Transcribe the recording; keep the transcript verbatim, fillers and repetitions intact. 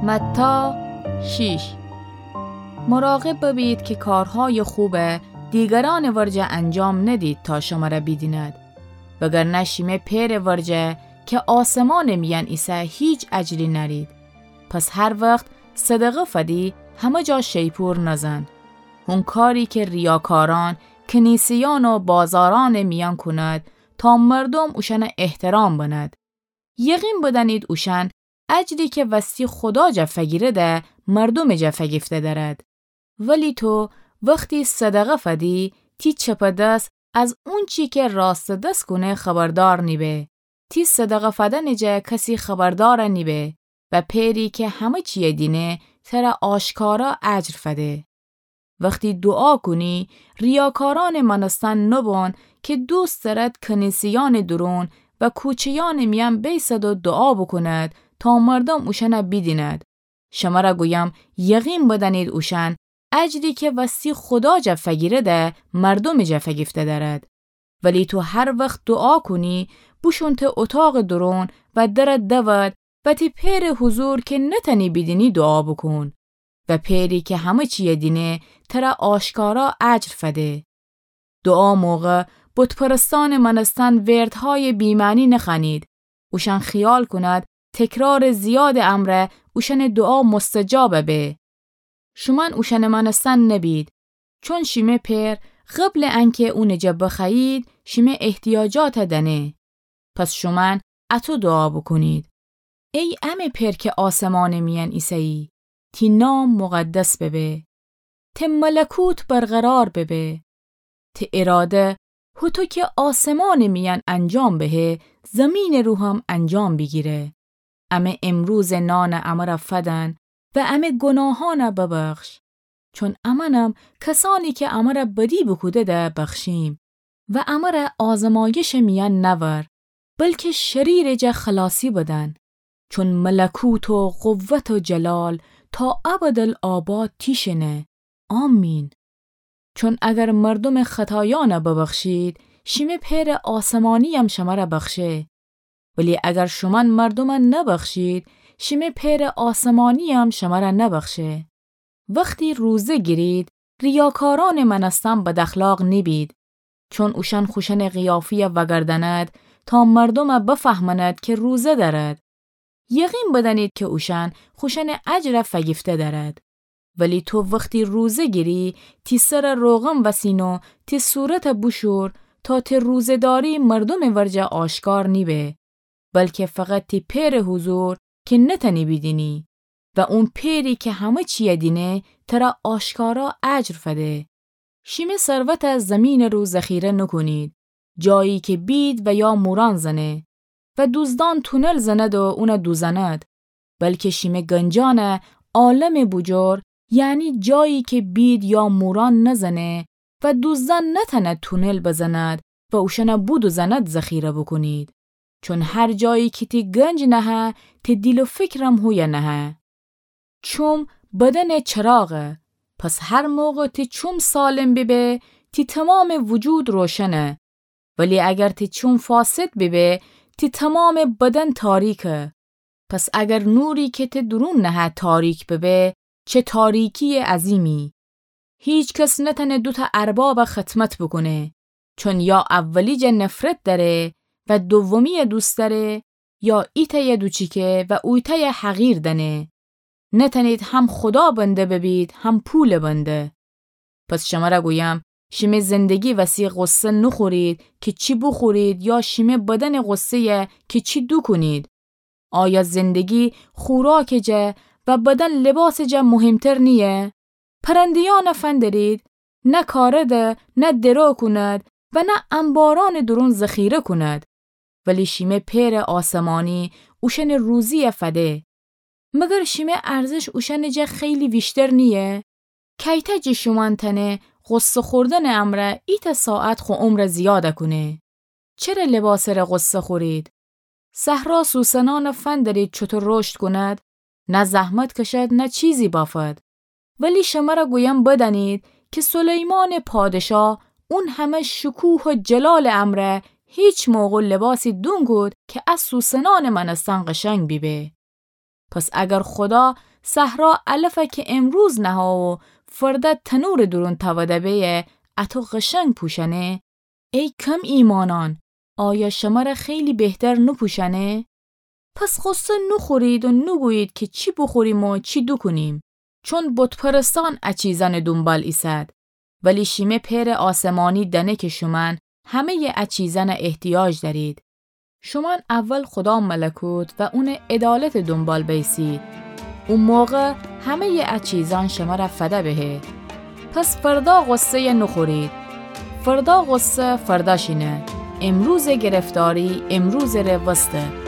متی شیش. مراقب ببید که کارهای خوبه دیگران ورجه انجام ندید تا شمره بیدیند، وگرنه شیمه پئر ورجه که آسمان میان ایسه هیچ اجری نرید. پس هر وقت صدقه فدی همه جا شیپور نزن. هون کاری که ریاکاران کنیسیان و بازاران میان کند تا مردم اوشن احترام بند. یقین بدانید اوشان اجری که وستی خدا جا فگیرده مردم جا فگیفته دارد. ولی تو وقتی صدقه فدی، تی چپ دس از اونچی که راست دس کونه خبردار نیبه. تی صدقه فدن جا کسی خبردار نیبه و پئری که همه چیه دینه تره آشکارا اجر فده. وقتی دعا کونی، ریاکاران مانستن نبون که دوست دارد کنیسیان درون و کوچه‌یان میان بیسد و دعا بکند تا مردم اوشن بیدیند. شمره گویم، یقین بدانید اوشان اجری که وستی خدا جا فگیرده مردم جا فگیفته دارد. ولی تو هر وقت دعا کونی، بوشون ته اتاق درون و در دود و تی پئر حضور که نتانی بیدینی دعا بکون. و پئری که همه چیه دینه تره آشکارا اجر فده. دعا موقع بت‌پرستان مانستن وردهای بی‌معنی نخوانید. اوشان خیال کند تکرار زیاد امره اوشن دعا مستجاب به. شومن اوشن مانستن نبید، چون شیمه پئر قبل انکه اون جا بخوایید، شیمه احتیاجات دانه. پس شومن اطو دعا بکونید: ای امه پئر که آسمان میان ایسه‌یی، تی نام مقدس ببه. ته ملکوت برقرار ببه. ته اراده هوطو که آسمان میان انجام بهه، زمین رو هم انجام بیگیره. امه امروز نان امره فدن و امه گناهان ببخش، چون امنم کسانی که امره بدی بوکودده بخشیم. و امره آزمایش میان نور، بلکه شریر جا خلاصی بدن، چون ملکوت و قوت و جلال تا ابدالآباد تیشنه. آمین. چون اگر مردم خطایان ببخشید، شیمه پئر آسمانیم شمره بخشه. ولی اگر شومن مردم نبخشید، شیمه پئر آسمانیم شمره نبخشه. وقتی روزه گیرید، ریاکاران مانستن بداخلاق نیبید، چون اوشان خوشن قیافی وگرداند تا مردم بفهماند که روزه دارد. یقین بدانید که اوشان خوشن اجر فگیفته دارد. ولی تو وقتی روزه گیری، تی سر روغن وسین و تی صورت بوشور، تا تی روزه‌داری مردم ورجه آشکار نیبه، بلکه فقط تی پئر حضور که نتانی بیدینی. و اون پئری که همه چیه دینه، تره آشکارا اجر فده. شیمه ثروت زمین رو ذخیره نکونید، جایی که بید و یا موران زنه و دوزدان تونل زند و اون دوزند، بلکه شیمه گنجان عالم بوجور، یعنی جایی که بید یا موران نزنه و دوزدان نتانه تونل بزند و اوشن بودوزند، ذخیره بکونید. چون هر جایی که تی گنج نهه، تی دیل و فکرم هویه نهه. چوم بدن چراغه، پس هر موقع تی چوم سالم بیبه، تی تمام وجود روشنه. ولی اگر تی چوم فاسد بیبه، تی تمام بدن تاریکه. پس اگر نوری که تی درون نهه تاریک ببه، چه تاریکی عظیمی! هیچ کس نتانه دوتا ارباب خدمت بکونه، چون یا اولی جا نفرت داره و دومی دوست داره، یا ایتای دوچیکه و اویتای حقیر دانه. نتانید هم خدا بنده ببید، هم پول بنده. پس شمره گویم، شیمه زندگی وسی غصه نخورید که چی بخورید یا شیمه بدن غصه‌یه که چی دوکونید. آیا زندگی خوراک جا و بدن لباس جا مهمتر نیه؟ پرندیان فندرید، نه کارده، نه درو کند و نه انباران درون ذخیره کند. ولی شیمه پئر آسمانی اوشن روزی فده. مگر شیمه ارزش اوشن جا خیلی ویشتر نیه؟ کیته جه شومن تانه غصه خوردن امره ایتا ساعت خو عمر زیاد کونه؟ چره لباسه ره غصه خورید؟ صحرا سوسنان فندرید چوطو رشد کند؟ نه زحمت کشد، نه چیزی بافد. ولی شمره گویم بدانید که سلیمان پادشاه اون همه شکوه و جلال امره هیچ موقع لباسی دونکود که از سوسنان مانستن قشنگ بیبه. پس اگر خدا صحرا علفه که امروز نهه و فرده تنورٚ دورون توده بیه، اطو قشنگ پوشنه؟ ای کم ایمانان، آیا شمره خیلی بهتر نوپوشنه؟ پس غصه نوخورید و نوگویید که چی بوخوریم و چی دوکونیم، چون بت‌پرستان ا چیزأنٚ دونبال ایسد، ولی شیمه پئرٚ آسمانی دأنه که شومأن همه‌یٚ ا چیزأنه احتیاج دأرید. شومأن اول خدا ملکوت و اونٚ عدالتٚ دونبال بیسید. او موقع همه‌یٚ ا چیزأن شمره فده بهه. پس فردا غصه‌یه نوخورید. فردا غصه فردا شینه. امروزٚ گرفتاری امروزٚ ره وسته.